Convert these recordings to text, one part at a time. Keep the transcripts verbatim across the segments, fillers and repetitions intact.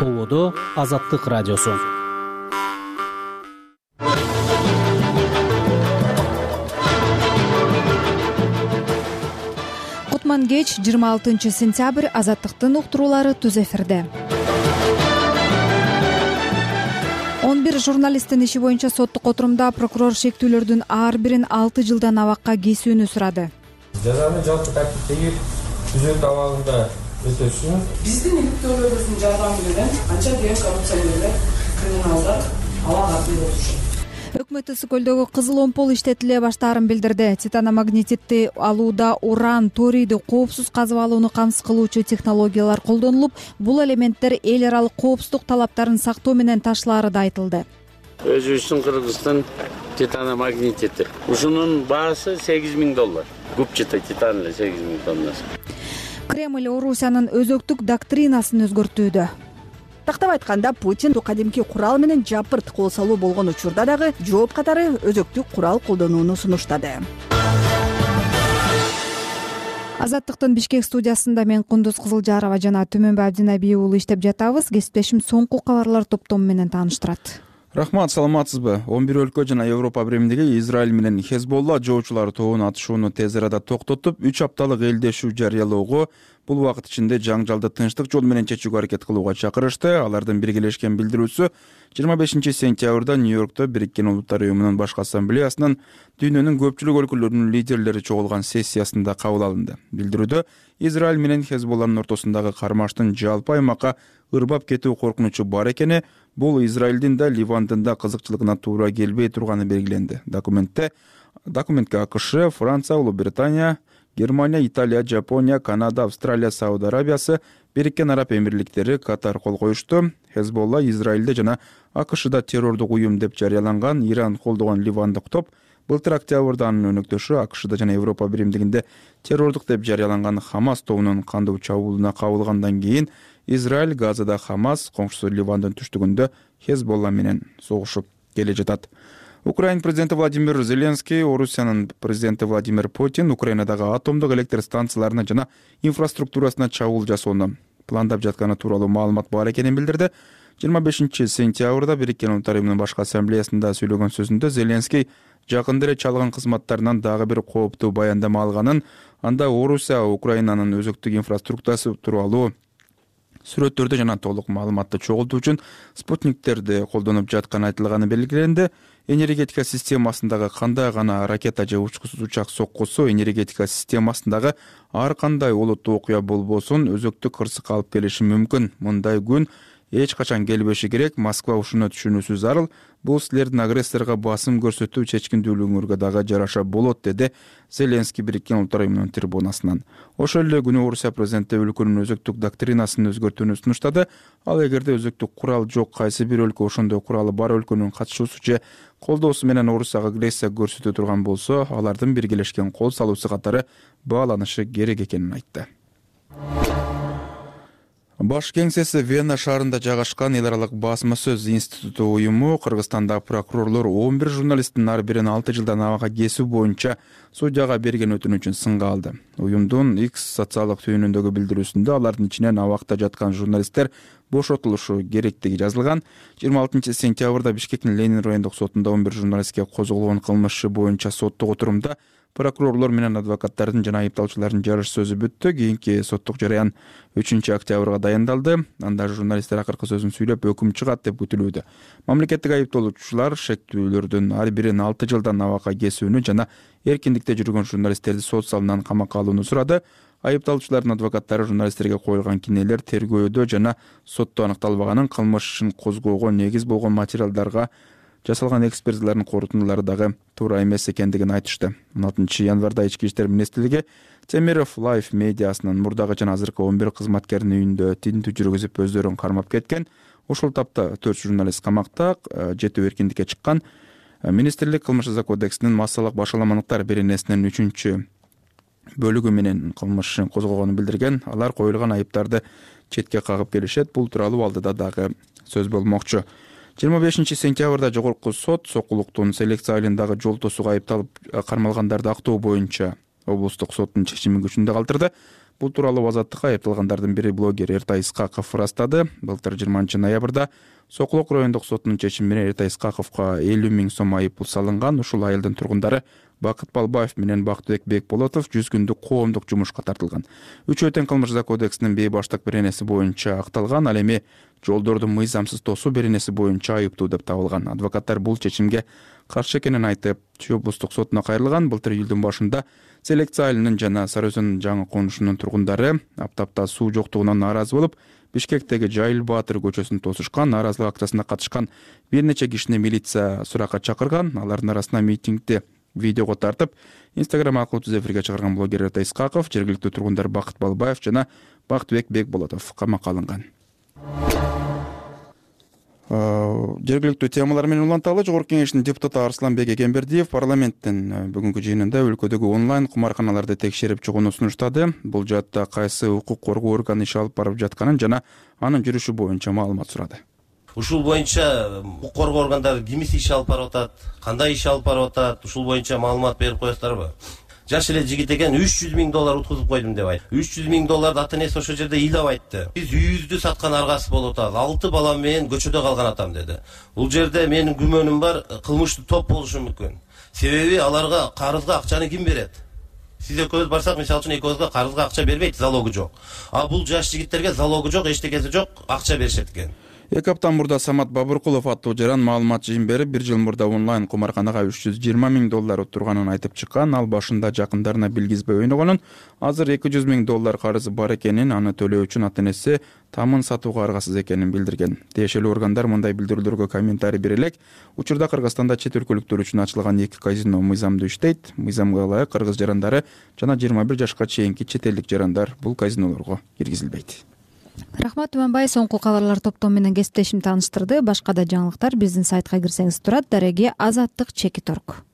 Ободо Азаттык радиосу. Кутман кеч жыйырма алтынчы сентябрь Азаттыктын уктуруулары түз эфирде. он бир журналисттин иши боюнча соттук отурумда прокурор шектүүлөрдүн ар бирин алты жылдан абакка кесүүнү сурады. Жазаны жалпы тартиптеги түзөт абагында өтөсүн. Биздин иликтөөлөрүбүздүн жардамы менен анча деген коррупционерлер, криминалдар алага артында отурушат. Өкмөт Ысык көлдөгү кызыл омпол иштетиле баштаарын билдирди. Титаномагнетитти алууда уран, торийди коопсуз казып алууну камсыз кылуучу технологиялар колдонулуп, бул элементтер эл аралык коопсуздук талаптарын сактоо менен ташлаары да айтылды. Өзүбүздүн Кыргыздын титаномагнетити. Ушунун баасы сегиз миң доллар. Губчатый титан эле сегиз миң тоннасы. Кремль Орусиянын өзөктүк доктринасын өзгөртүүдө. Тактап айтканда, Путин кадимки курал менен жапырт кол салуу болгон учурда дагы жооп катары өзөктүк курал колдонууну сунуштады. Азаттыктын Бишкек студиясында мен Кундуз Кызылжарова жана Түмөнбай Абдинабий уулу иштеп жатабыз. Кесиптешим соңку кабарлар топтому менен тааныштырат. Рахмат, саламатсызбы? он бир өлкө жана Европа биримдиги Израиль менен Хезболла жоочулар тобун атышууну тез арада токтотуп, үч апталык элдешүү жарыялоого, бул убакыт ичинде жаңжалды тынчтык жол менен чечүүгө аракет кылууга чакырышты. Алардын биргелешкен билдирүүсү жыйырма бешинчи сентябрда Нью-Йоркто Бириккен Улуттар уюмунун башкы ассамблеясынын дүйнөнүн көпчүлүк өлкөлөрүнүн лидерлери чогулган сессиясында кабыл алынды. Билдирүүдө Израиль менен Хезболланын ортосундагы кармаштын жалпы аймакка ырбап кетүү коркунучу бар экени, бул Израилдин да Ливандын да кызыкчылыгына туура келбей турганы белгиленди. Документте документке АКШ, Франция, Улуу Британия, Германия, Италия, Жапония, Канада, Австралия, Сауд Арабиясы, Бириккен Араб Эмирликтери катар кол коюшту. Хезболла Израилде жана АКШда террордук уюм деп жарыяланган Иран колдогон ливандык топ былтыр октябрда анын өнөктөшү АКШда жана Европа биримдигинде террордук деп жарыяланган Хамас тобунун кандуу чабуулуна кабылгандан кийин Израиль Газада Хамас, коңшусу Ливандын түштүгүндө Хезболла менен согушуп келе жатат. Украина президенти Владимир Зеленский, Орусиянын президенти Владимир Путин Украинадагы атомдук электр станцияларына жана инфраструктурасына чабуул жасоону пландап жатканы тууралуу маалымат бар экенин билдирди. жыйырма бешинчи сентябрда Бириккен Улуттар уюмунун башкы ассамблеясында сүйлөгөн сөзүндө Зеленский жакында эле чалган кызматтарынан дагы бир кооптуу баяндама алганын, анда Орусия Украинанын өзөктүк инфраструктурасы тууралуу сүрөттөрдү жана толук маалыматты чогултуу үчүн спутниктерди колдонуп жатканы айтылганы белгиленди. Энергетика системасындагы кандай гана ракета же учкусуз учак соккусу энергетика системасындагы ар кандай олуттуу окуя болбосун өзөктүк кырсыкка алып келиши мүмкүн. Мындай күн эч качан келбеши керек. Москва ушуну түшүнүүсү зарыл. Бул силердин агрессорго басым көрсөтүү чечкиндүүлүгүңөргө дагы жараша болот, деди Зеленский Бириккен Улуттар уюмунун трибунасынан. Ошол эле күнү Орусия президенти өлкөнүн өзөктүк доктринасын өзгөртүүнү сунуштады. Ал эгерде өзөктүк курал жок кайсы бир өлкө ошондой куралы бар өлкөнүн катышуусу же колдоосу менен Орусияга агрессия көрсөтө турган болсо, алардын биргелешкен кол салуусу катары бааланышы керек экенин айтты. Баш кеңсеси Вена шаарында жайгашкан эл аралык басма сөз институту уюму Кыргызстанда прокурорлор он бир журналисттин ар бирин алты жылдан абакка кесүү боюнча судьяга берген өтүнүчүн сынга алды. Уюмдун X социалдык түйүнүндөгү билдирүүсүндө алардын ичинен абакта жаткан журналисттер бошотулушу керектиги жазылган. жыйырма алтынчы сентябрда Бишкектин Ленин райондук сотунда он бир журналистке козголгон кылмыш иши боюнча соттук отурумда прокурорлор менен адвокаттардын жана айыпталуучулардын жарыш сөзү бүттү. Кийинки соттук жараян үчүнчү октябрга дайындалды. Анда журналисттер акыркы сөзүн сүйлөп өкүм чыгат деп күтүлүүдө. Мамлекеттик айыпталуучулар шектүүлөрдүн ар бирин алты жылдан абакка кесүүнү жана эркиндикте жүргөн журналисттерди сот залынан камакка алууну сурады. Айыпталуучулардын адвокаттары журналисттерге коюлган кинелер тергөөдө жана сотто аныкталбаганын, кылмыш ишин козгоого негиз болгон материалдарга жасалган экспертизалардын корутундулары дагы туура эмес экендигин айтышты. он алтынчы январда Ички иштер министрлиги Темиров Life медиасынын мурдагы жана азыркы он бир кызматкеринин үйүндө тинтүү жүргүзүп өздөрүн кармап кеткен. Ошол тапта төрт журналист камакта, жетөө эркиндикке чыккан. Министрлик кылмыш жаза кодексинин массалык башаламандыктар беренесинин үчүнчү бөлүгү менен кылмыш ишин козгогонун билдирген. Алар коюлган айыптарды четке кагып келишет. Бул тууралуу алдыда дагы сөз болмокчу. жыйырма бешинчи сентябрда жогорку сот сокулуктун селекция айылындагы жол тосууга айыпталып кармалгандарды актоо боюнча облустук соттун чечимин күчүндө калтырды. Бул тууралуу Азаттыкка айыпталгандардын бири блогер Эртай Исхаков ырастады. Былтыр жыйырманчы ноябрда Сокулок райондук сотунун чечими менен Эртай Исхаковго элүү миң сом айыппул салынган. Ушул айылдын тургундары Бакыт Балбаев менен Бактыбек Бекболотов жүз күндүк коомдук жумушка тартылган. Үчөө тең кылмыш жаза кодексинин бейбаштык беренеси боюнча акталган, ал эми жолдорду мыйзамсыз тосуу беренеси боюнча айыптуу деп табылган. Адвокаттар бул чечимге каршы экенин айтып, Чүй облустук сотуна кайрылган. Былтыр июлдун башында Селекция айылынын жана Сары Өзөн жаңы конушунун тургундары аптапта суу жоктугунан нааразы болуп, Бишкектеги Жайыл Баатыр көчөсүн тосушкан. Нааразылык акциясына катышкан бир нече кишини милиция суракка чакырган. Алардын арасында митингди видеого тартып, Instagram аркылуу түз эфирге чыгарган блогер Эртай Исхаков, жергиликтүү тургундар Бакыт Балбаев жана Бактыбек Бекболотов камакка алынган. Жергиликтүү темалар менен уланталы. Жогорку кеңештин депутаты Арсланбек Эгембердиев парламенттин бүгүнкү жыйынында өлкөдөгү онлайн кумарканаларды текшерип чыгууну сунуштады. Бул жаатта кайсы укук коргоо органы иш алып барып жатканын жана анын жүрүшү боюнча маалымат сурады. Ушул боюнча укук коргоо органдары кимиси иш алып барып атат, кандай иш алып барып атат, ушул боюнча маалымат берип коесуздарбы? Жаш эле жигит экен, үч жүз миң доллар уткузуп койдум деп айт. үч жүз миң долларды ата энеси ошол жерде ыйлап айтты. Биз үйүбүздү саткан аргасы болуп атат. алты балам менен көчөдө калган атам деди. Бул жерде менин күмөнүм бар, кылмыштуу топ болушу мүмкүн. Себеби аларга карызга акчаны ким берет? Сиз экөөбүз барсак, мисалы үчүн экөөбүзгө карызга акча бербейт, залогу жок. А бул жаш жигиттерге залогу жок, эчтекеси жок, акча беришет экен. Эки апта мурда Самат Бабыркулов аттуу жаран маалымат жыйын берип, бир жыл мурда онлайн кумарканага үч жүз жыйырма миң доллар отурганын айтып чыккан. Ал башында жакындарына билгизбей ойногонун, азыр эки жүз миң доллар карызы бар экенин, аны төлөө үчүн ата энеси тамын сатууга аргасыз экенин билдирген. Тиешелүү органдар мындай билдирүүлөргө комментарий бере элек. Учурда Кыргызстанда чет өлкөлүктөр үчүн ачылган эки казино мыйзамдуу иштейт. Мыйзамга ылайык кыргыз жарандары жана жыйырма бир жашка чейинки чет элдик жарандар бул казинолорго киргизилбейт. Рахмат Туманбай, соңку кабарлар топтому менен кесиптешим тааныштырды. Башка да жаңылыктар биздин сайтка кирсеңиз турат. Дареги Азаттык чеки торг.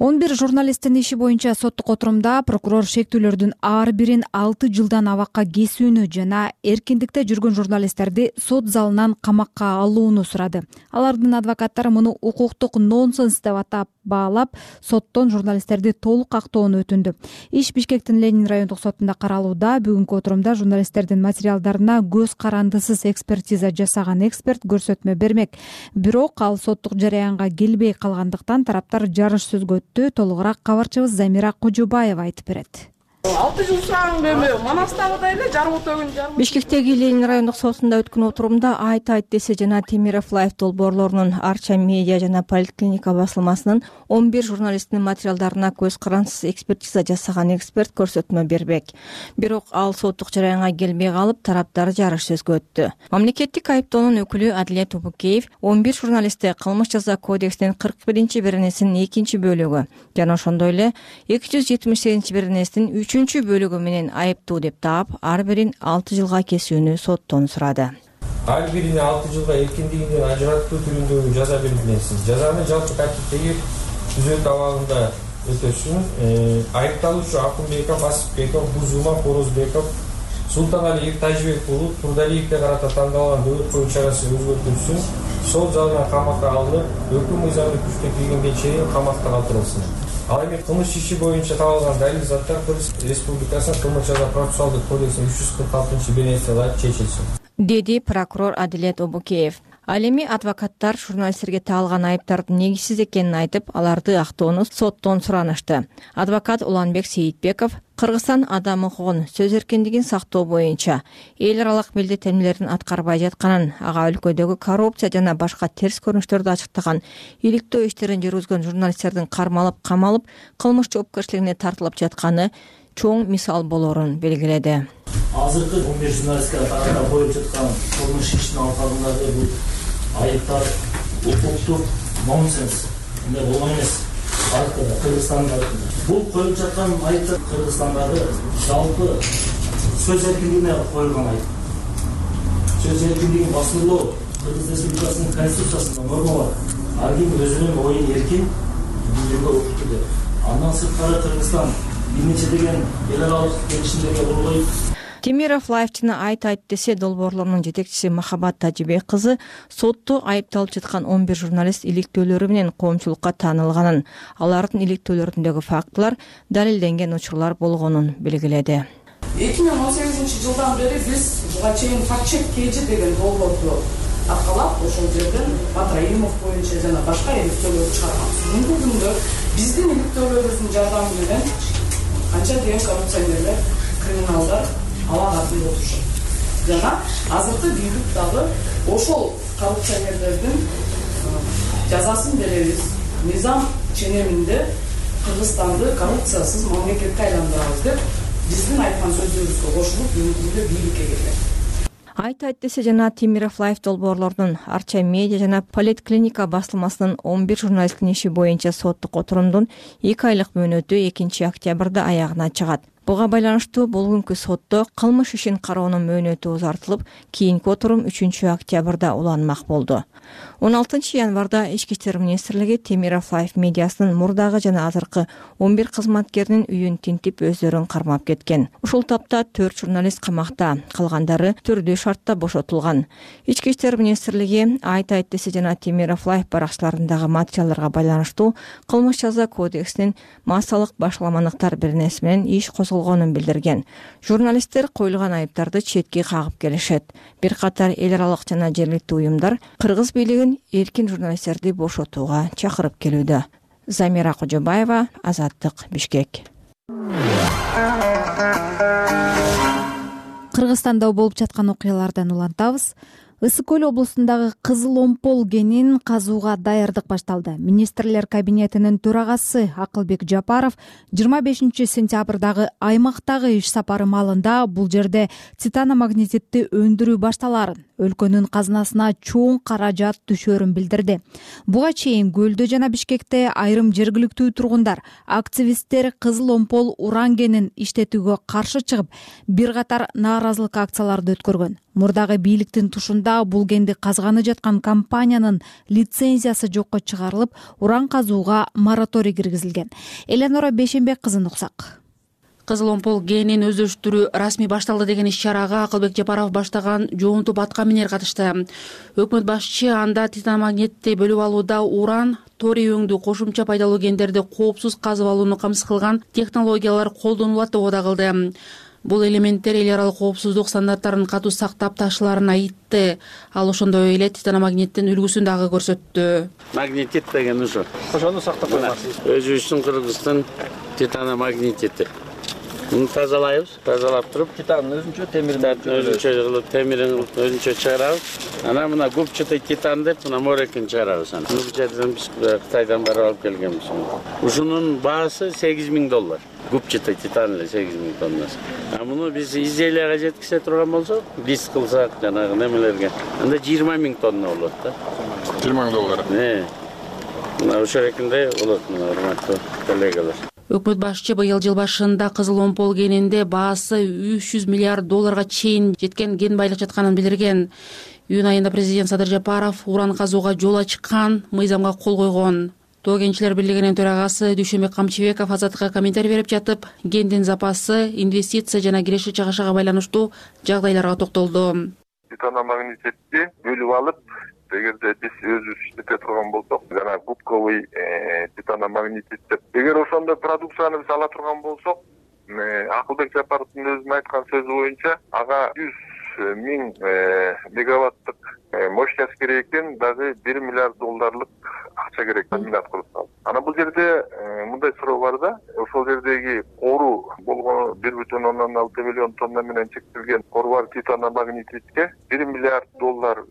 он бир журналисттин иши боюнча соттук отурумда прокурор шектүүлөрдүн ар бирин алты жылдан абакка кесүүнү жана эркиндикте жүргөн журналисттерди сот залынан камакка алууну сурады. Алардын адвокаттары муну укуктук нонсенс деп атап баалап, соттон журналисттерди толук актоону өтүндү. Иш Бишкектин Ленин райондук сотунда каралууда. Бүгүнкү отурумда журналисттердин материалдарына көз карандысыз экспертиза жасаган эксперт көрсөтмө бермек. Бирок ал соттук жараянга келбей калгандыктан тараптар жарыш сөзгө өттү. Толугураак кабарчыбыз Замира Кожобаева айтып берет. алты жыл сураган бербей, Манастагыдай эле жарым өтөгүн жарым. Бишкектеги Ленин райондук сотунда өткөн отурумда Айт Айт десе жана Темиров Лайф долбоорлорунун Арча медиа жана Поликлиника басылмасынын он бир журналисттин материалдарына көз карандысыз экспертиза жасаган эксперт көрсөтмө бербек. Бирок ал соттук жараянга келбей калып, тараптар жарыш сөзгө өттү. Мамлекеттик айыптоонун өкүлү Адилет Убукеев он бир журналистти кылмыш жаза кодексинин кырк биринчи беренесинин экинчи бөлүгү жана ошондой эле эки жүз жетимиш сегизинчи беренесинин үчүнчү бөлүгү менен айыптуу деп таап, ар бирин алты жылга кесүүнү соттон сурады. Ар бирине алты жылга эркиндигинен ажыраттуу түрүндөгү жаза белгиленсин. Жазаны жалпы тартиптеги түзөтүү абагында өтөсүн. Айыпталуучу Акунбеков, Асыпбеков, Бузума, Хорозбеков, Султанали Эртажбек болуп, Турдалиевге карата тандалган дөгөт коюу чарасы өзгөртүлсүн. Сот залына камакка алынып, өкүм мыйзамдуу күчкө киргенге чейин камакта калтырылсын. Ал эми кылмыш иши боюнча табылган далил заттар Кыргыз Республикасынын кылмыш жаза процессуалдык кодексинин үч жүз кырк алтынчы беренесине ылайык чечилсин, деди прокурор Адилет Обукеев. Ал эми адвокаттар журналисттерге таалган айыптардын негизсиз экенин айтып, аларды актоону соттон суранышты. Адвокат Уланбек Сейитбеков Кыргызстан адам укугун, сөз эркиндигин сактоо боюнча эл аралык милдеттенмелерин аткарбай жатканын, ага өлкөдөгү коррупция жана башка терс көрүнүштөрдү ачыктаган, иликтөө иштерин жүргүзгөн журналисттердин кармалып, камалып, кылмыш жоопкерчилигине тартылып жатканы чоң мисал болорун белгиледи. Азыркы он бир журналистке тарапынан коюп жаткан кылмыш иштин алкагындагы бул айыптар укуктук нонсенс, мындай болгон эмес. Кыргызстанда бул коюп жаткан айыптар Кыргызстандагы жалпы сөз эркиндигине коюлган айып. Сөз эркиндигин басылуу Кыргыз Республикасынын конституциясында норма бар. Ар ким өзүнүн оюн эркин билдирүүгө укуктуу деп. Андан сырткары Кыргызстан бир нече деген эл аралык келишимдерге кол коюп, Темиров Лайфчыны айт айт десе долбоорлорунун жетекчиси Махабат Тажибек кызы сотто айыпталып жаткан он бир журналист иликтөөлөрү менен коомчулукка таанылганын, алардын иликтөөлөрүндөгү фактылар далилденген учурлар болгонун белгиледи. эки миң он сегизинчи жылдан бери биз буга чейин факт-чек кейжи деген долбоорду аркалап ошол жерден Батраимов боюнча жана башка иликтөөлөр чыгарганбыз. Бүгүнкү күндө биздин иликтөөлөрүбүздүн жардамы менен канча деген коррупционерлер, криминалдар ала катында отурушат. Жана азыркы бийлик дагы ошол коррупционерлердин жазасын беребиз. Мыйзам ченеминде Кыргызстанды коррупциясыз мамлекетке айландырабыз деп биздин айткан сөздөрүбүзгө кошулуп бүгүнкү күндө бийликке келген. Айт айт десе жана Темиров Лайф долбоорлорунун Арча медиа жана Политклиника басылмасынын он бир журналисттин иши боюнча соттук отурумдун эки айлык мөөнөтү экинчи октябрда аягына чыгат. Буга байланыштуу бүгүнкү сотто кылмыш ишин кароонун мөөнөтү узартылып, кийинки отурум үчүнчү октябрда уланмак болду. он алтынчы январда Ички иштер министрлиги Темиров Лайф медиасынын мурдагы жана азыркы он бир кызматкеринин үйүн тинтип өздөрүн кармап кеткен. Ушул тапта төрт журналист камакта, калгандары түрдүү шартта бошотулган. Ички иштер министрлиги айт айт десе жана Темиров Лайф баракчаларындагы материалдарга байланыштуу кылмыш жаза кодексинин массалык башаламандыктар беренеси менен иш козголгонун билдирген. Журналисттер коюлган айыптарды четке кагып келишет. Бир катар эл аралык жана жергиликтүү уюмдар Кыргыз бийлигин эркин журналисттерди бошотууга чакырып келүүдө. Замира Кожобаева, Азаттык, Бишкек. Кыргызстанда болуп жаткан окуялардан улантабыз. Ысык көл облусундагы Кызыл Омпол кенин казууга даярдык башталды. Министрлер кабинетинин төрагасы Акылбек Жапаров жыйырма бешинчи сентябрдагы аймактагы иш сапары маалында бул жерде титаномагнетитти өндүрүү башталарын, өлкөнүн казынасына чоң каражат түшөрүн билдирди. Буга чейин Көлдө жана Бишкекте айрым жергиликтүү тургундар, активисттер Кызыл Омпол уран кенин иштетүүгө каршы чыгып, бир катар нааразылык акцияларды өткөргөн. Мурдагы бийликтин тушунда бул кенди казганы жаткан компаниянын лицензиясы жокко чыгарылып, уран казууга мораторий киргизилген. Эленора Бешенбек кызын уксак. Кызыл Омпол кенин өздөштүрүү расмий башталды деген иш-чарага Акылбек Жапаров баштаган жоон топ атка минер катышты. Өкмөт башчы анда титаномагнитти бөлүп алууда уран, торий өңдүү кошумча пайдалуу кендерди коопсуз казып алууну камсыз кылган технологиялар колдонулат деп ода кылды. Бул элементтер эл аралык коопсуздук стандарттарын катуу сактап ташыларын айтты. Ал ошондой эле титаномагниттин үлгүсүн дагы көрсөттү. Магнетит деген ушу. Ошону сактап коймакчысыз. Өзүбүздүн Кыргыздын титаномагнетити. Муну тазалайбыз, тазалап туруп, титандын өзүнчө, темирдин өзүнчө кылып, темирин өзүнчө чыгарабыз. Анан мына губчатый титан деп, мына морекин чыгарабыз аны. Бул жерден биз Кытайдан барып алып келгенбиз. Ушунун баасы сегиз миң доллар. Губчатый титан эле сегиз миң тоннасы. А муну биз изделияга жеткизе турган болсок, лист кылсак, жанагы немелерге, анда жыйырма миң тонна болот да. жыйырма миң доллар. Э. Мына ошол экинде болот, мына урматтуу коллегалар. Өкмөт башчы быйыл жыл башында Кызыл Омпол кенинде баасы үч жүз миллиард долларга чейин жеткен кен байлык жатканын билдирген. Июнь айында президент Садыр Жапаров уран казууга жол ачкан мыйзамга кол койгон. Тоо кенчилер бирлигинин төрагасы Дүйшөнбек Камчыбеков Азаттыкка комментарий берип жатып, кендин запасы, инвестиция жана киреши чыгышага байланыштуу жагдайларга токтолду. Титаномагнититти бөлүп алып, эгерде биз өзүбүз иштете турган болсок, жана губковый титаномагнитит деп, эгер ошондой продукцияны биз ала турган болсок, Акылбек Жапаровдун өзүнүн айткан сөзү боюнча, ага жүз миң мегаваттык мощность керек экен, дагы бир миллиард долларлык акча керек, миллиард кылып. Анан бул жерде мындай суроо бар да, ошол жердеги кору болгону бир бүтүн ондон алты миллион тонна менен чектелген кору бар титаномагнититке бир миллиард доллар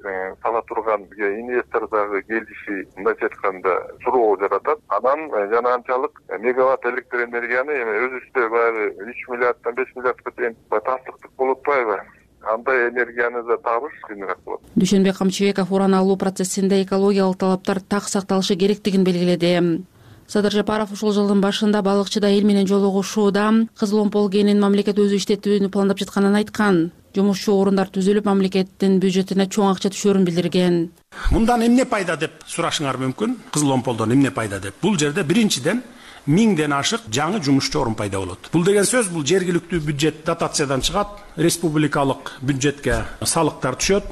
сала турган инвестор дагы келиши, мындайча айтканда, суроо жаратат. Анан жана анчалык мегаватт электр энергияны эми өзүбүздө баягы үч миллиарддан беш миллиардка чейин таштыктык болуп атпайбы? Андай энергияны да табыш кыйыныраак болот. Дүйшөнбек Камчыбеков уран алуу процессинде экологиялык талаптар так сакталышы керектигин белгиледи. Садыр Жапаров ушул жылдын башында балыкчыда эл менен жолугушууда Кызыл Омпол кенин мамлекет өзү иштетүүнү пландап жатканын айткан. Жумушчу орундар түзүлүп, мамлекеттин бюджетине чоң акча түшөрүн билдирген. Мындан эмне пайда деп сурашыңар мүмкүн? Кызыл Омполдон эмне пайда деп? Бул жерде биринчиден миңден ашык жаңы жумушчу орун пайда болот. Бул деген сөз бул жергиликтүү бюджет дотациядан чыгат, республикалык бюджетке салыктар түшөт,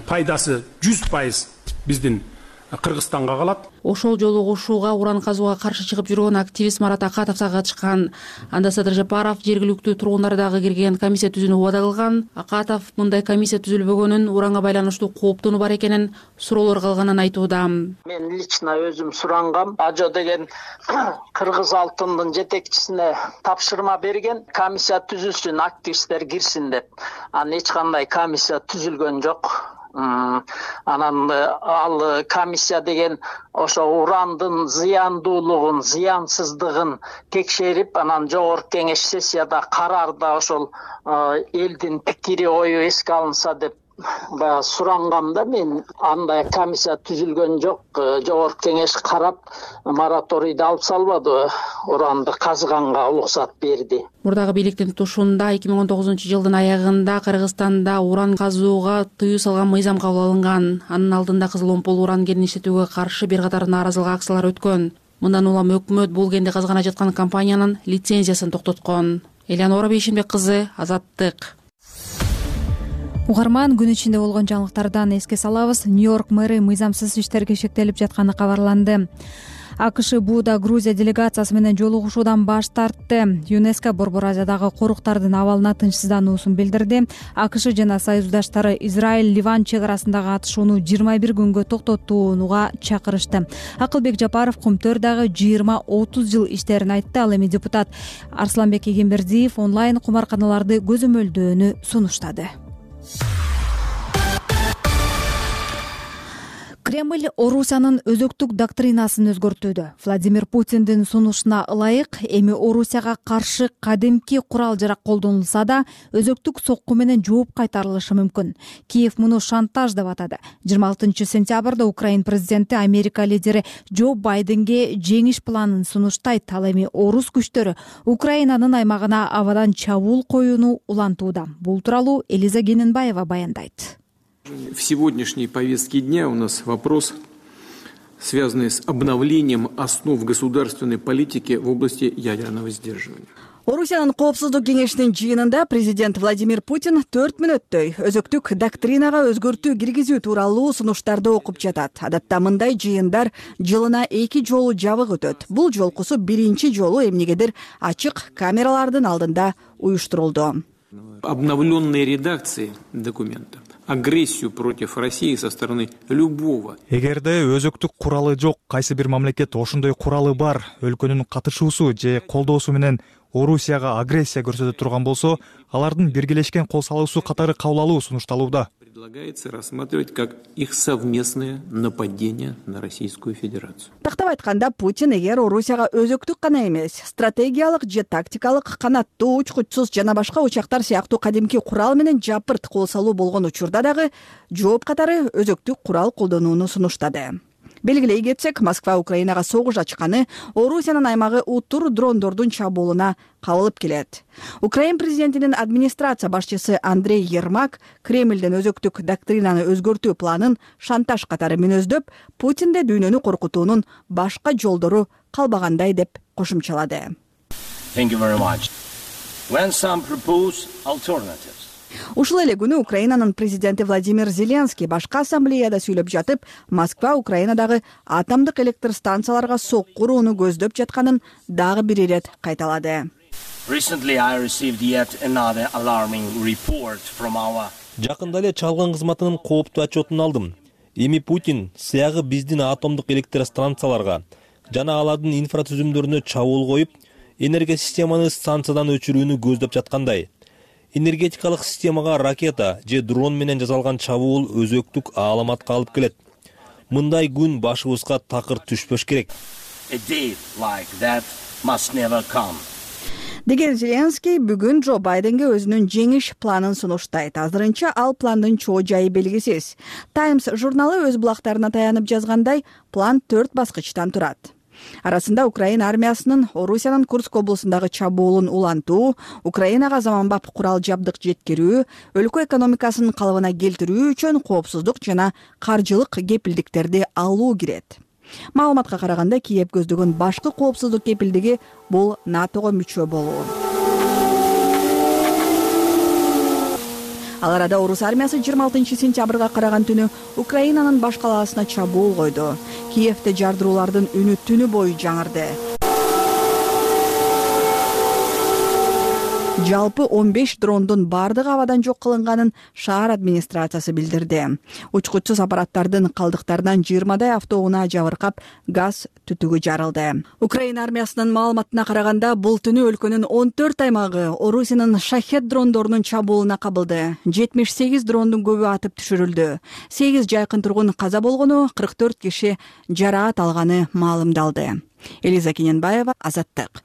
пайдасы жүз пайыз биздин Кыргызстанга калат. Ошол жолу кошууга уран казууга каршы чыгып жүргөн активист Марат Акатов катышкан. Анда Садыр Жапаров жергиликтүү тургундар дагы кирген комиссия түзүүнү убада кылган. Акатов мындай комиссия түзүлбөгөнүн, уранга байланыштуу кооптонуу бар экенин, суроолор калганын айтууда. Мен лично өзүм сурангам. Ажо деген Кыргыз алтындын жетекчисине тапшырма берген, комиссия түзүлсүн, активисттер кирсин деп. Анан эч кандай комиссия түзүлгөн жок. Анан ал комиссия деген ошо урандын зыяндуулугун, зыянсыздыгын текшерип, анан жогорку кеңеш сессияда карарда ошол элдин пикири, ою эске алынса деп баягы сурангамда. Мен андай комиссия түзүлгөн жок. Жогорку кеңеш карап мораторийди алып салбады, уранды казганга уруксат берди. Мурдагы бийликтин тутушунда эки миң он тогузунчу жылдын аягында Кыргызстанда уран казууга тыюу салган мыйзам кабыл алынган. Анын алдында кызыл омпол уран кенин иштетүүгө каршы бир катар нааразылык акциялар өткөн. Мындан улам өкмөт бул кенди казгана жаткан компаниянын лицензиясын токтоткон. Элеонора Бейшенбек кызы, Азаттык. Угарман, күн ичинде болгон жаңылыктардан эске салабыз. Нью-Йорк мэри мыйзамсыз иштерге шектелип жатканы кабарланды. АКШ бууда Грузия делегациясы менен жолугушуудан баш тартты. ЮНЕСКО Борбор Азиядагы коруктардын абалына тынчсыздануусун билдирди. АКШ жана союздаштары Израиль-Ливан чек арасындагы атышууну жыйырма бир күнгө токтотууга чакырышты. Акылбек Жапаров Кумтөр дагы жыйырма отуз жыл иштерин айтты. Ал эми депутат Арсланбек Эгембердиев онлайн кумарканаларды көзөмөлдөөнү сунуштады. Кремль Орусиянын өзөктүк доктринасын өзгөртүүдө. Владимир Путиндин сунушуна ылайык эми Орусияга каршы кадимки курал-жарак колдонулса да, өзөктүк сокку менен жооп кайтарылышы мүмкүн. Киев муну шантаж деп атады. жыйырма алтынчы сентябрда Украин президенти Америка лидери Джо Байденге жеңиш планын сунуштайт. Ал эми орус күчтөрү Украинанын аймагына абадан чабуул коюуну улантууда. Бул тууралуу Элиза Гененбаева баяндайт. В сегодняшней повестке дня у нас вопрос, связанный с обновлением основ государственной политики в области ядерного сдерживания. Орусиянын коопсуздук кеңешинин жыйынында президент Владимир Путин төрт мүнөттөй өзөктүк доктринага өзгөртүү киргизүү тууралуу сунуштарды окуп жатат. Адатта мындай жыйындар жылына эки жолу жабык өтөт. Бул жолкусу биринчи жолу эмнегедир ачык камералардын алдында уюштурулду. Обновленные редакции документа агрессию против России со стороны любого. Эгерде өзөктүк куралы жок, кайсы бир мамлекет ошондой куралы бар, өлкөнүн катышуусу же колдоосу менен Орусияга агрессия көрсөтө турган болсо, алардын биргелешкен кол салуусу катары кабыл алуу сунушталууда. Предлагается рассматривать как их совместное нападение на Российскую Федерацию. Тактап айтканда, Путин эгер Орусияга өзөктүк гана эмес, стратегиялык же тактикалык канаттуу учкучсуз жана башка учактар сыяктуу кадимки курал менен жапырт кол салуу болгон учурда дагы жооп катары өзөктүк курал колдонууну сунуштады. Белгилей кетсек, Москва Украинага согуш ачканы Орусиянын аймагы утур дрондордун чабуулуна кабылып келет. Украин президентинин администрация башчысы Андрей Ермак Кремлден өзөктүк доктринаны өзгөртүү планын шантаж катары мүнөздөп, Путинде дүйнөнү коркутуунун башка жолдору калбагандай деп кошумчалады. Thank you very much. When some propose alternatives. Ушул эле күнү Украинанын президенти Владимир Зеленский башка ассамблеяда сүйлөп жатып, Москва Украинадагы атомдук электр станцияларга сокку урууну көздөп жатканын дагы бир ирет кайталады. Recently I received yet another alarming report from our Жакында эле чалгын кызматынын кооптуу отчетун алдым. Эми Путин сыягы биздин атомдук электр станцияларга жана алардын инфратүзүмдөрүнө чабуул коюп, энергия системаны станциядан өчүрүүнү көздөп жаткандай. Энергетикалык системага ракета же дрон менен жасалган чабуул өзөктүк аламатка алып келет. Мындай күн башыбызга такыр түшпөш керек. Деген Зеленский бүгүн Джо Байденге өзүнүн жеңиш планын сунуштайт. Азырынча ал пландын чоо жайы белгисиз. Times журналы өз булактарына таянып жазгандай, план төрт баскычтан турат. Арасында Украина армиясынын Орусиянын Курск облусундагы чабуулун улантуу, Украинага заманбап курал жабдык жеткирүү, өлкө экономикасынын калыбына келтирүү үчүн коопсуздук жана каржылык кепилдиктерди алуу кирет. Маалыматка караганда Киев көздөгөн башкы коопсуздук кепилдиги бул натого мүчө болуу. Ал арада орус армиясы жыйырма алтынчы сентябрга караган түнү Украинанын баш калаасына чабуул койду. Киевде жардыруулардын үнү түнү бою жаңырды. Жалпы он беш дрондун бардыгы абадан жок кылынганын шаар администрациясы билдирди. Учкучсуз аппараттардын калдыктарынан жыйырмадай автоунаа жабыркап, газ түтүгү жарылды. Украина армиясынын маалыматына караганда, бул түнү өлкөнүн он төрт аймагы Орусиянын шахет дрондорунун чабуулуна кабылды. жетимиш сегиз дрондун көбү атып түшүрүлдү. сегиз жайкын тургун каза болгону, кырк төрт киши жараат алганы маалымдалды. Элиза Кененбаева, Азаттык.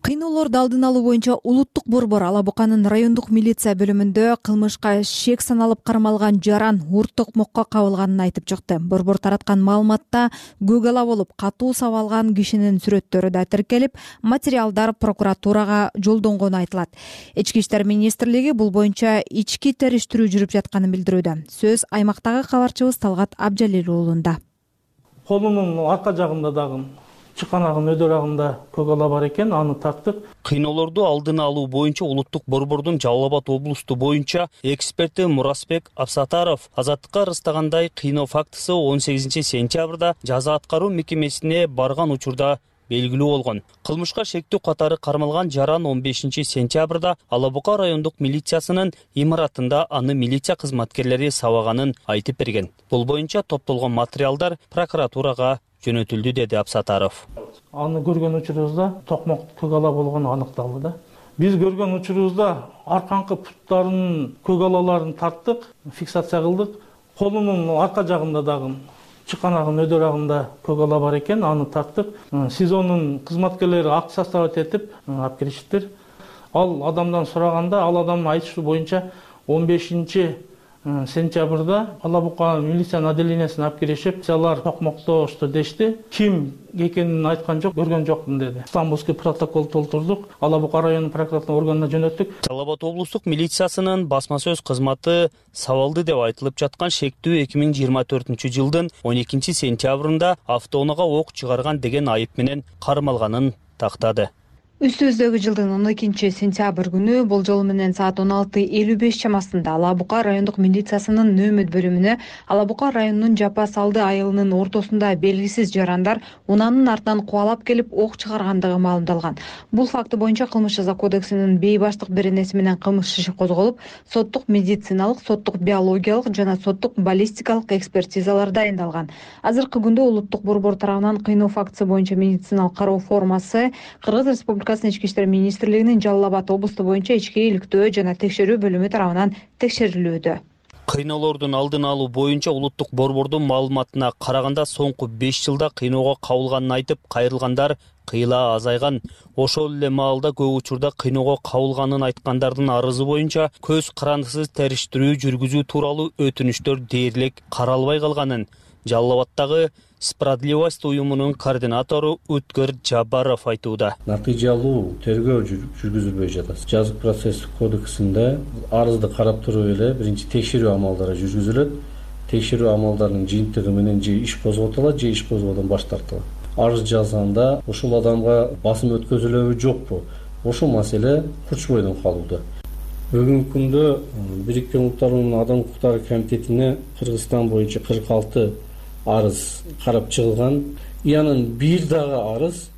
Кыйноолорду алдын алуу боюнча улуттук борбор Ала Буканын райондук милиция бөлүмүндө кылмышка шек саналып кармалган жаран урт токмокко кабылганын айтып чыкты. Борбор тараткан маалыматта көк ала болуп катуу сабалган кишинин сүрөттөрү да тиркелип, материалдар прокуратурага жолдонгону айтылат. Ички иштер министрлиги бул боюнча ички териштирүү жүрүп жатканын билдирүүдө. Сөз аймактагы кабарчыбыз Талгат Абжалил уулунда. Колунун арка жагында дагы чыканагын өдөрагында көк ала бар экен, аны тарттык. Кыйноолорду алдын алуу боюнча улуттук борбордун Жалал Абад облусту боюнча эксперти Мурасбек Абсатаров Азаттыкка ырастагандай, кыйноо фактысы он сегизинчи сентябрда жаза аткаруу мекемесине барган учурда белгилүү болгон. Кылмышка шектүү катары кармалган жаран он бешинчи сентябрда Ала Бука райондук милициясынын имаратында аны милиция кызматкерлери сабаганын айтып берген. Бул боюнча топтолгон материалдар прокуратурага жөнөтүлдү, деди Абсатаров. Аны көргөн учурубузда токмок көк ала болгону аныкталды да. Биз көргөн учурубузда арканкы путтарынын көк алаларын тарттык, фиксация кылдык. Колунун арка жагында дагы чыканагын өдөрагында көк ала бар экен, аны тарттык. СИЗОнун кызматкерлери ак состав этип алып киришиптир. Ал адамдан сураганда, ал адамдын айтышы боюнча он бешинчи сентябрда Ала Бука милициянын отделениясына алып киришип, алар токмоктошту дешти. Ким экенин айткан жок, көргөн жокмун деди. Стамбулский протокол толтурдук, Ала Бука районунун прокуратура органына жөнөттүк. Жалал Абад облустук милициясынын басма сөз кызматы сабалды деп айтылып жаткан шектүү эки миң жыйырма төртүнчү жылдын он экинчи сентябрында автоунаага ок чыгарган деген айып менен кармалганын тактады. Үстүбүздөгү жылдын он экинчи сентябрь күнү болжол менен саат он алты элүү беш чамасында Ала Бука райондук милициясынын нөөмөт бөлүмүнө Ала Бука районунун Жапа Салды айылынын ортосунда белгисиз жарандар унаанын артынан кубалап келип ок чыгаргандыгы маалымдалган. Бул факты боюнча кылмыш жаза кодексинин бейбаштык беренеси менен кылмыш иши козголуп, соттук медициналык, соттук биологиялык жана соттук баллистикалык экспертизалар дайындалган. Азыркы күндө улуттук борбор тарабынан кыйноо фактысы боюнча медициналык кароо формасы Кыргыз Республикасынын Ички иштер министрлигинин Жалал Абад облусту боюнча ички иликтөө жана текшерүү бөлүмү тарабынан текшерилүүдө. Кыйноолордун алдын алуу боюнча улуттук борбордун маалыматына караганда, соңку беш жылда кыйноого кабылганын айтып, кайрылгандар кыйла азайган. Ошол эле маалда көп учурда кыйноого кабылганын айткандардын арызы боюнча көз карандысыз териштирүү жүргүзүү тууралуу өтүнүчтөр дээрлик каралбай калганын Жалал Абадтагы Справедливость уюмунун координатору Үткөр Жабаров айтууда. Натыйжалуу тергөө жүргүзүлбөй жатат. Жазык процесстик кодексинде арызды карап туруп эле биринчи текшерүү амалдары жүргүзүлөт. Текшерүү амалдарынын жыйынтыгы менен же иш козготулат, же иш козгоодон баш тартылат. Арыз жазганда ушул адамга басым өткөзүлөбү жокпу? Ошол маселе курчубойдон калууда. Бүгүнкү күндө Бириккен Улуттар Уюмунун Адам укуктары комитетине Кыргызстан боюнча кырк алты арыз карап чыгылган. Янын бир дагы арыз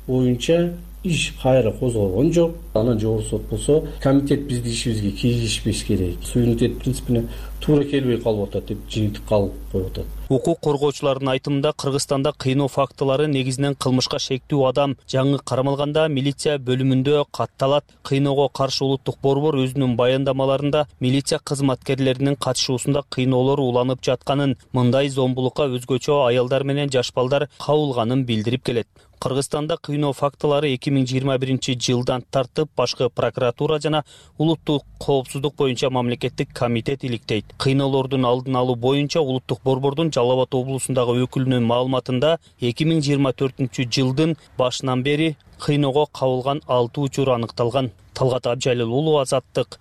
боюнча иш кайра козголгон жок. Анан жогорку сот болсо, комитет биздин ишибизге киришпеш керек, суверенитет принципине туура келбей калып атат деп жыйынтык калып коюп атат. Укук коргоочулардын айтымында, Кыргызстанда кыйноо фактылары негизинен кылмышка шектүү адам жаңы кармалганда милиция бөлүмүндө катталат. Кыйноого каршы улуттук борбор өзүнүн баяндамаларында милиция кызматкерлеринин катышуусунда кыйноолор уланып жатканын, мындай зомбулукка өзгөчө аялдар менен жаш балдар кабылганын билдирип келет. Кыргызстанда кыйноо фактылары эки миң жыйырма биринчи жылдан тартып, башкы прокуратура жана улуттук коопсуздук боюнча мамлекеттик комитет иликтейт. Кыйноолордун алдын алуу боюнча улуттук борбордун Жалал Абад облусундагы өкүлүнүн маалыматында эки миң жыйырма төртүнчү жылдын башынан бери кыйноого кабылган алты учур аныкталган. Талгат Абжалил уулу, Азаттык.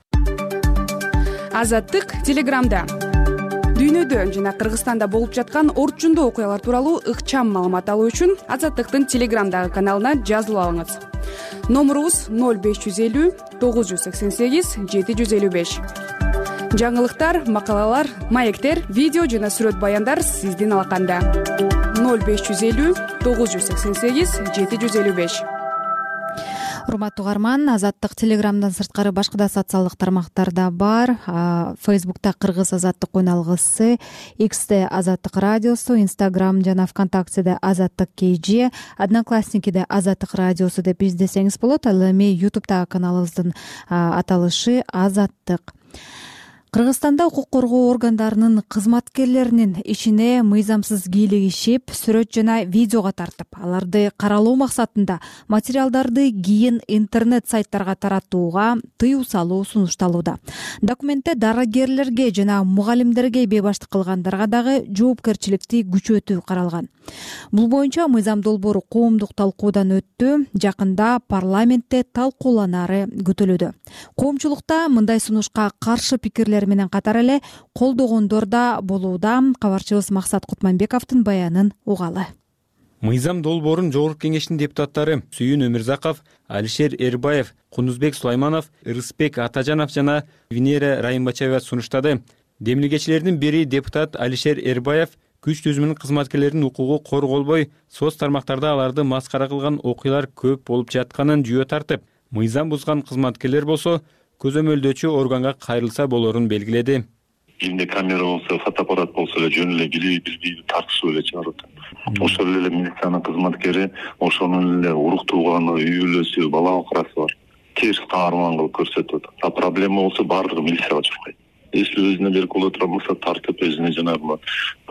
Азаттык Телеграмда. Дүйнөдө жана Кыргызстанда болуп жаткан орчундуу окуялар тууралуу ыкчам маалымат алуу үчүн Азаттыктын Телеграмдагы каналына жазылып алыңыз. Номурубуз ноль беш жүз элүү тогуз жүз сексен сегиз жети жүз элүү беш. Жаңылыктар, макалалар, маектер, видео жана сүрөт баяндар сиздин алаканда. ноль беш жүз элүү тогуз жүз сексен сегиз жети жүз элүү беш. Урматтуу угарман, Азаттык Телеграмдан сырткары башка да социалдык тармактарда бар. Фейсбукта Кыргыз Азаттык уналгысы, X'те Азаттык радиосу, Instagram жана ВКонтактеде Азаттык кей джи, Одноклассникиде Азаттык радиосу деп издесеңиз болот. Ал эми YouTube'дагы каналыбыздын аталышы Азаттык. Кыргызстанда укук коргоо органдарынын кызматкерлеринин ишине мыйзамсыз кийлигишип, сүрөт жана видеого тартып, аларды каралоо максатында материалдарды кийин интернет сайттарга таратууга тыюу салуу сунушталууда. Документте дарыгерлерге жана мугалимдерге бейбаштык кылгандарга дагы жоопкерчиликти күчөтүү каралган. Бул боюнча мыйзам долбоору коомдук талкуудан өттү, жакында парламентте талкууланары күтүлүүдө. Коомчулукта мындай сунушка каршы пикирлер менен катар эле колдогондор да болууда. Кабарчыбыз Максат Кутманбековдун баянын угалы. Мыйзам долбоорун Жогорку Кеңештин депутаттары Сүйүн Өмүрзаков, Алишер Эрбаев, Кундузбек Сулайманов, Ырысбек Атажанов жана Венера Райымбачаева сунуштады. Демилгечилердин бири депутат Алишер Эрбаев күч түзүмүнүн кызматкерлеринин укугу корголбой, соц тармактарда аларды маскара кылган окуялар көп болуп жатканын жүйө тартып, мыйзам бузган кызматкерлер болсо көзөмөлдөөчү органга кайрылса болорун белгиледи. Элинде камера болсо, фотоаппарат болсо эле жөн эле кирип бизди тартышып эле чыгарып атат. Ошол эле милициянын кызматкери ошонун эле урук тууганы, үй бүлөсү, бала окрасы бар. Терс таарман кылып көрсөтүп атат. А проблема болсо баардыгы милицияга чыкпайт. Если өзүнө берип боло турган болсо тартып өзүнө жанагы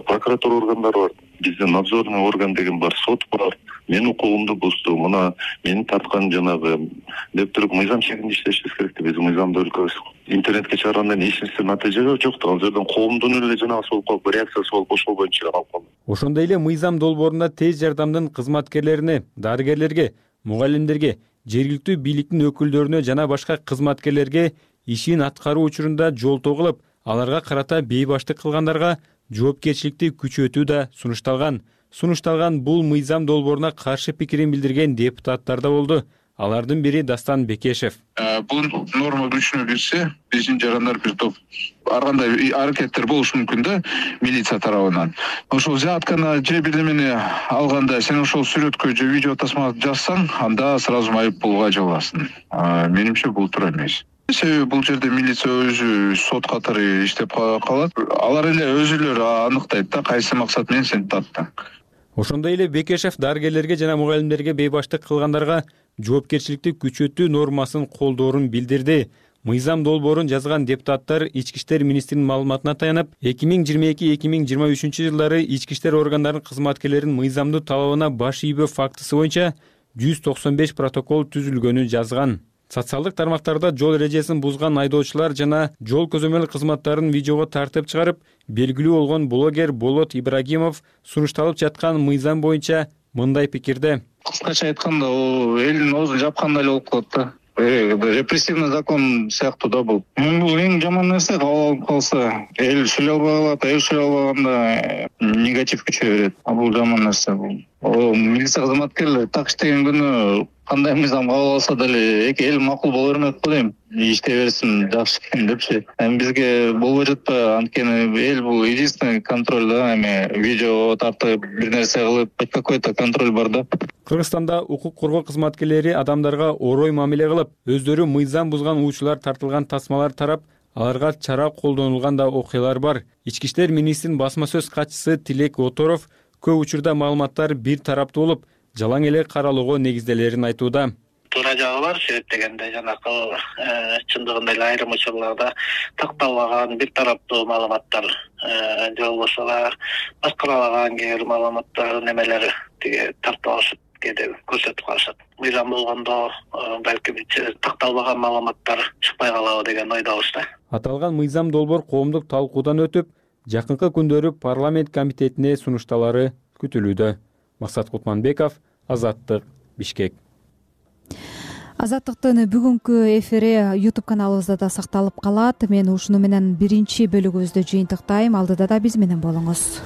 прокуратура органдары бар. Бизде надзорный орган деген бар, сот бар. Мен укугумду бузду, мына мени тарткан жанагы деп туруп мыйзам чегинде иштешибиз керек деп биз мыйзамды өлкөбүз. Интернетке чыгаргандан эч нерсе натыйжа жок. Ал жерден коомдун эле жанагы болуп калып, реакциясы болуп ошол боюнча эле калып калды. Ошондой эле мыйзам долбоорунда тез жардамдын кызматкерлерине, дарыгерлерге, мугалимдерге, жергиликтүү бийликтин өкүлдөрүнө жана башка кызматкерлерге ишин аткаруу учурунда жолтоо кылып, аларга карата бейбаштык кылгандарга жоопкерчиликти күчөтүү да сунушталган. Сунушталган бул мыйзам долбооруна каршы пикирин билдирген депутаттар да болду. Алардын бири Дастан Бекешев. Бул норма күчүнө кирсе, биздин жарандар бир топ ар кандай аракеттер болушу мүмкүн да милиция тарабынан. Ошол жаткана же бирдемени алганда сен ошол сүрөткө же видео тасма жазсаң, анда сразу майып булга жабыласың. Менимче бул туура эмес. Себеби бул жерде милиция өзү сот катары иштеп калат. Алар эле өзүлөрү аныктайт да кайсы максат менен сени тарттың. Ошондой эле Бекешев дарыгерлерге жана мугалимдерге бейбаштык кылгандарга жоопкерчиликти күчөтүү нормасын колдоорун билдирди. Мыйзам долбоорун жазган депутаттар Ички иштер министринин маалыматына таянып, эки миң жыйырма эки эки миң жыйырма үчүнчү жылдары ички иштер органдарынын кызматкерлеринин мыйзамдуу талабына баш ийбөө фактысы боюнча жүз токсон беш протокол түзүлгөнүн жазган. Социалдык тармактарда жол эрежесин бузган айдоочулар жана жол көзөмөл кызматтарын видеого тартып чыгарып, белгилүү болгон блогер Болот Ибрагимов сунушталып жаткан мыйзам боюнча мындай пикирде. Кыскача айтканда, о элдин оозун жапкандай эле болуп калат да. Репрессивный закон сыяктуу да бул. Бул эң жаман нерсе, кабыл алып калса, эл сүйлөй албай калат, эл сүйлөй албаганда негатив күчөй берет. А бул жаман нерсе бул. О милиция кызматкерлери так иштеген күнү кандай мыйзам кабыл алса деле эки эл макул боло бермек го дейм. Иштей берсин жакшы экен депчи. Эми бизге болбой жатпайбы? Анткени эл бул единственный контроль да, эми видео тартып бир нерсе кылып, хоть какой-то контроль бар да. Кыргызстанда укук коргоо кызматкерлери адамдарга орой мамиле кылып, өздөрү мыйзам бузган уучулар тартылган тасмалар тарап, аларга чара колдонулган да окуялар бар. Ички иштер министринин басма сөз катчысы Тилек Оторов көп учурда маалыматтар бир тараптуу болуп, жалаң эле каралоого негизделерин айтууда. Туура жагы бар, себеп дегенде жанакы чындыгында эле айрым учурларда такталбаган бир тараптуу маалыматтар же болбосо башкаралаган кээ бир маалыматтар немелер тиги тартып кээде көрсөтүп калышат. Мыйзам болгондо балким такталбаган маалыматтар чыкпай калабы деген ойдобуз да. Аталган мыйзам долбоор коомдук талкуудан өтүп, жакынкы күндөрү парламент комитетине сунушталары күтүлүүдө. Максат Кутманбеков, Азаттык, Бишкек. Азаттыктын бүгүнкү эфири YouTube каналыбызда да сакталып калат. Мен ушуну менен биринчи бөлүгүбүздү жыйынтыктайм. Алдыда да биз менен болуңуз.